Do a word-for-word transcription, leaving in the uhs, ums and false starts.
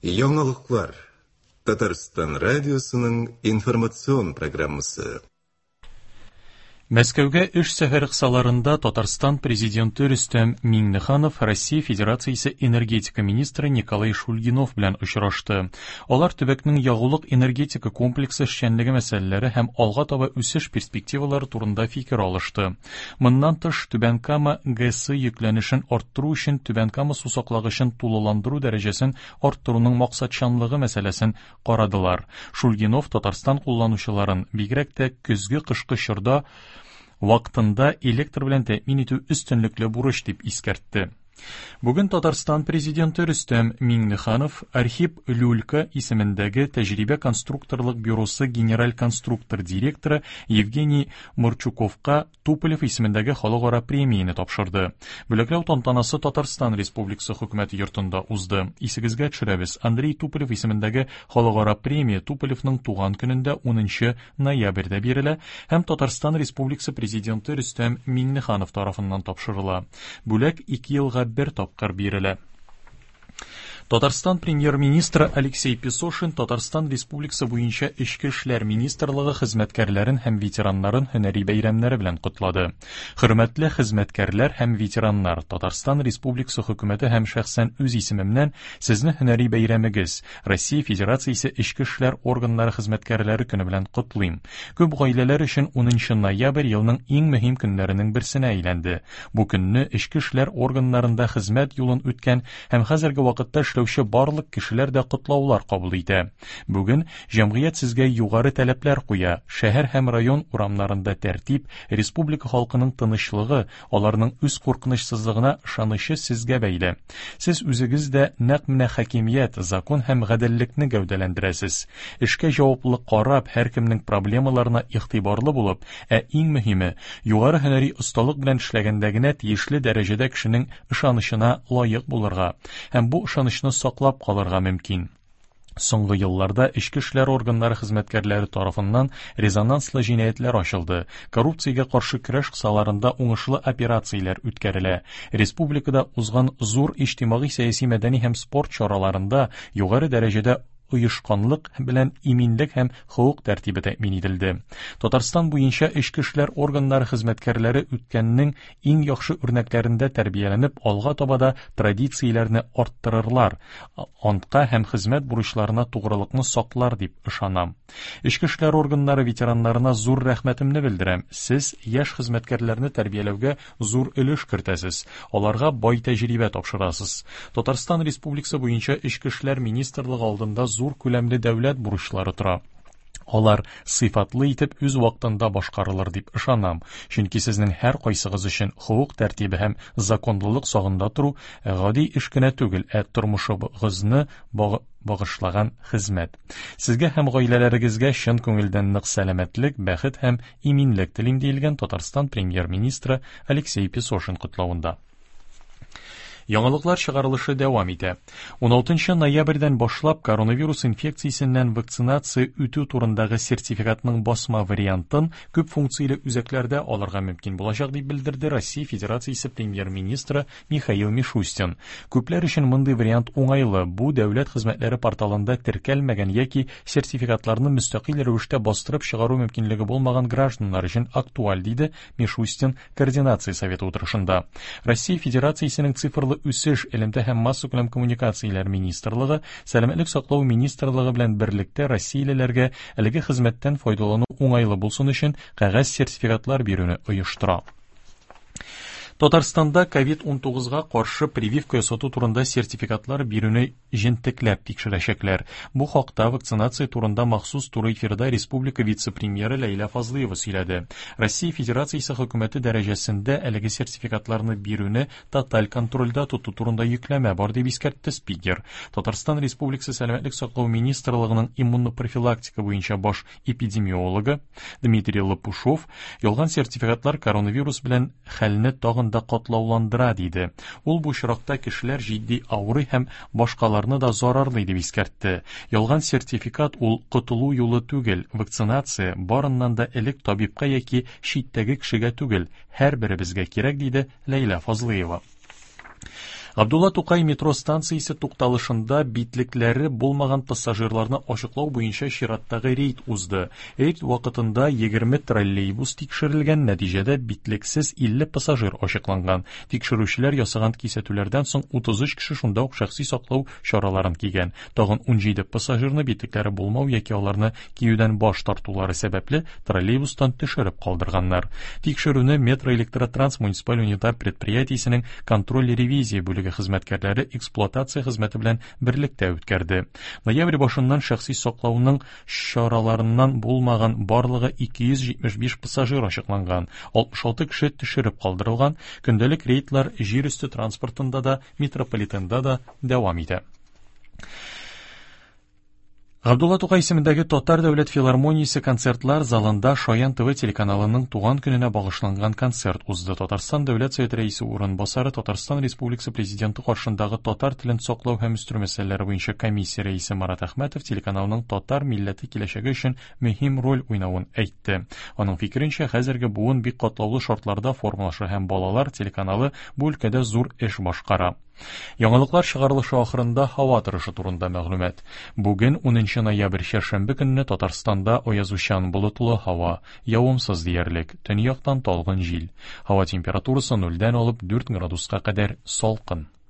Яңалыклар. Татарстан радиосының информацион программасы. Мәскәүгә эш сәфәре кысаларында Татарстан президенты Рөстәм Миңнеханов Россия Федерациясе энергетика министры Николай Шульгинов белән очрашты. Алар төбәкнең ягулык-энергетика комплексы эшчәнлеге мәсьәләләре һәм алга таба үсеш перспективалары турында фикер алышты. Моннан тыш, Түбән Кама ГЭСы йөкләнешен арттыру өчен Түбән Кама сусаклагычын тулыландыру дәрәҗәсен арттыруның максатчанлыгы мәсьәләсен карадылар. Шульгинов Татарстан кулланучыларын, бигрәк тә көзге-кышкы чорда вакытында электр белән тәэмин итү өстенлекле бурыч дип искәртте. Бүген Татарстан президенты Рөстәм Миңнеханов Архип Люлька исемендәге тәҗрибә конструкторлык бюросы генераль конструктор директоры Евгений Марчуковка Туполев исемендәге халыкара премияне тапшырды. Бүләкләү тантанасы Татарстан Республикасы хөкүмәте йортында узды. Исегезгә төшерәбез, Андрей Туполев исемендәге халыкара премия Туполевның туган көнендә унынчы ноябрьдә бирелә һәм Татарстан Республикасы президенты Рөстәм Миңнеханов тарафыннан тапшырыла. Бүләк ике елга бер тапкыр бирелә. Татарстан премьер-министры Алексей Песошин Татарстан Республикасы буенча Эчке эшләр министрлыгы хезмәткәрләрен һәм ветераннарын һөнәри бәйрәмнәре белән котлады. Хөрмәтле хезмәткәрләр һәм ветераннар, Татарстан Республикасы хөкүмәте һәм шәхсән үз исемемнән сезне һөнәри бәйрәмегез, Россия Федерациясе Эчке эшләр органнары хезмәткәрләре көне белән котлыйм. Күп гаиләләр өчен унынчы ноябрь елның иң мөһим көннәренең берсенә әйләнде. Бу көнне эчке эшләр органнарында хезмәт юлын үткән һәм хәзерге вакытта эшләүче барлык кешеләр дә котлаулар кабул итә. Бүген җәмгыять сезгә югары таләпләр куя. Шәһәр һәм район урамнарында тәртип, республика халкының тынычлыгы, аларның үз куркынычсызлыгына ышанычы сезгә бәйле. Сез үзегез дә нәкъ менә хакимият, закон һәм гаделлекне гәүдәләндерәсез. Эшкә җаваплы карап, һәркемнең проблемаларына игътибарлы булып, ә иң мөһиме, югары һөнәри осталык белән эшләгәндә генә тиешле дәрәҗәдә кешенең ышанычына лаек булырга һәм бу ышанычны саклап калырга мөмкин. Соңгы елларда эчке эшләр органнары хезмәткәрләре тарафыннан резонанслы җинаятьләр ачылды. Коррупциягә каршы көрәш кысаларында уңышлы операцияләр үткәрелә. Республикада узган зур иҗтимагый, сәяси, мәдәни һәм спорт чараларында югары дәрәҗәдә оешканлык белән иминлек һәм хокук тәртибе тәэмин ителде. Татарстан буенча эчке эшләр органнары хезмәткәрләре үткәннең иң яхшы үрнәкләрендә тәрбияләнеп, алга таба да традицияләрне арттырырлар, антка һәм хезмәт бурычларына тугрылыкны саклар дип ышанам. Эчке эшләр органнары ветераннарына зур рәхмәтемне белдерәм. Сез яшь хезмәткәрләрне тәрбияләүгә зур өлеш кертәсез, аларга бай тәҗрибә тапшырасыз. Татарстан Республикасы буенча Эчке эшләр министрлыгы алдында зур күләмле дәүләт бурычлары тора. Алар сыйфатлы итеп үз вакытында башкарылыр дип ышанам, чөнки сезнең һәр кайсыгыз өчен хокук тәртибе һәм законлылык сагында тору гади эш кенә түгел, ә тормышыгызны багышлаган хезмәт. Сезгә һәм гаиләләрегезгә чын күңелдән нык сәламәтлек, бәхет һәм иминлек телим, диелгән Татарстан премьер-министры Алексей Песошин котлавында. Яңалыклар чыгарылышы дәвам итә. ун алтынчы ноябрьдән башлап коронавирус инфекциясеннән вакцинация үтү турындагы сертификатның басма вариантын күп функцияле үзәкләрдә алырга мөмкин булачак, дип белдерде Россия Федерациясе премьер-министры Михаил Мишустин. Күпләр өчен мондый вариант уңайлы. Бу дәүләт хезмәтләре порталында теркәлмәгән яки сертификатларны мөстәкыйль рәвештә бастырып чыгару мөмкинлеге булмаган гражданнар өчен актуаль, диде Мишустин координация советы утырышында. Россия Федерациясенең цифрлы үсеш, элемтә һәм массакүләм коммуникацияләр министрлыгы, Сәламәтлек саклау министрлыгы белән берлектә россиялеләргә әлеге хезмәттән файдалану уңайлы булсын өчен кәгазь сертификатлар бирүне оештыра. Татарстанда ковид ун тугызга каршы прививка ясату турында сертификатлар бирүне җентекләп тикшерәчәкләр. Бу хакта вакцинация турында махсус туры эфирда республика вице-премьеры Ләйлә Фазлыева сөйләде. Россия Федерациясе хөкүмәте дәрәҗәсендә әлеге сертификатларны бирүне тоталь контрольдә тоту турында йөкләмә бар, дип искәртте спикер. Татарстан Республикасы Сәламәтлек саклау министрлыгының иммунопрофилактика буенча баш эпидемиологы Дмитрий Лопушов ялган сертификатлар коронавирус белән хәлне тагын да катлауландыра, диде. Ул бу очракта кешеләр җитди авырый һәм башкаларны да зарарлый дип искәртте. Ялган сертификат ул котылу юлы түгел, вакцинация барыннан да элек табибка яки читтәге кешегә түгел, һәрберебезгә кирәк, диде Ләйлә Фазлыева. Габдулла Тукай метро станциясе тукталышында битлекләре булмаган пассажирларны ачыклау буенча чираттагы рейд узды. Рейд вакытында егерме троллейбус тикшерелгән, нәтиҗәдә битлексез илле пассажир ачыкланган. Тикшерүчеләр ясаган кисәтүләрдән соң утыз өч кеше шунда ук шәхси саклау чараларын кигән. Тагын унҗиде пассажирны битлекләре булмау яки аларны киюдән баш тартулары сәбәпле троллейбустан төшереп калдырганнар. Тикшерүне Метро Электротранс муниципаль унитар предприятиесенең контроль-ревизия бүлеге хезмәткәрләре эксплуатация хезмәте белән берлектә үткәрде. Ноябрь башыннан шәхси саклауның чараларыннан булмаган барлыгы ике йөз җитмеш биш пассажир ачыкланган, алтмыш алты кеше төшереп калдырылган. Көндәлек рейдлар җир өсте транспортында да, метрополитенда да дәвам итә. Габдулла Тукай исемендәге Татар дәүләт филармониясе концертлар залында Шаян ТВ телеканалының туган көненә багышланган концерт узды. Татарстан Дәүләт Советы рәисе урынбасары, Татарстан Республикасы Президенты каршындагы татар телен саклау һәм үстерү мәсьәләләре буенча комиссия рәисе Марат Әхмәтов телеканалның татар милләте киләчәге өчен мөһим роль уйнавын әйтте. Аның фикеренчә, хәзерге буын бик катлаулы шартларда формалаша һәм балалар телеканалы бу өлкәдә зур эш башкара. Яңалыклар чыгарылышы ахырында һава торышы турында мәгълүмат. Бүген унынчы ноябрь чәршәмбе көнне Татарстанда аязучан болытлы һава, явымсыз диярлек, төньяктан талгын җил. Һава температурасы нульдән алып дүрт градуска кадәр салкын.